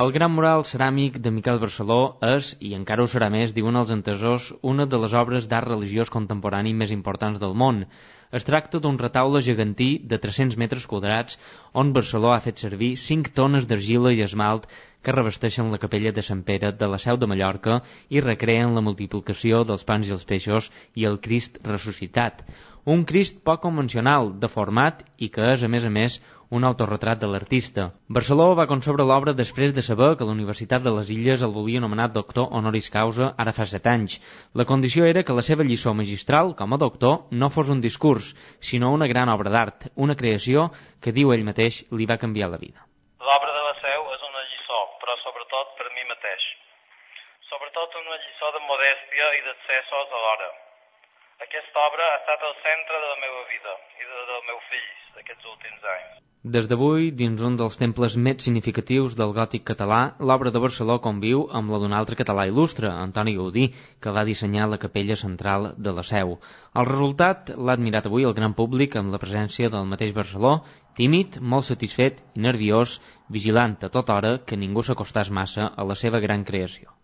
El gran mural ceràmic de Miquel Barceló és, i encara ho serà més, diuen els entesors, una de les obres d'art religiós contemporani més importants del món. Es tracta d'un retaule gegantí de 300 metres quadrats on Barceló ha fet servir 5 tones d'argila i esmalt que revesteixen la capella de Sant Pere de la Seu de Mallorca i recreen la multiplicació dels pans i els peixos i el Crist ressuscitat. Un Crist poc convencional, deformat i que és, a més, un autorretrat de l'artista. Barceló va concebre l'obra després de saber que la Universitat de les Illes el volia nomenat doctor honoris causa ara fa 7 anys. La condició era que la seva lliçó magistral, com a doctor, no fos un discurs, sinó una gran obra d'art, una creació que, diu ell mateix, li va canviar la vida. L'obra de la Seu és una lliçó, però sobretot per mi mateix. Sobretot una lliçó de modèstia i d'excessos alhora. Aquesta obra ha estat el centre de la meva vida i del meu fill d'aquests últims anys. Des d'avui, dins un dels temples més significatius del gòtic català, l'obra de Barceló conviu amb la d'un altre català il·lustre, Antoni Gaudí, que va dissenyar la capella central de la Seu. El resultat l'ha admirat avui el gran públic amb la presència del mateix Barceló, tímid, molt satisfet i nerviós, vigilant a tota hora que ningú s'acostàs massa a la seva gran creació.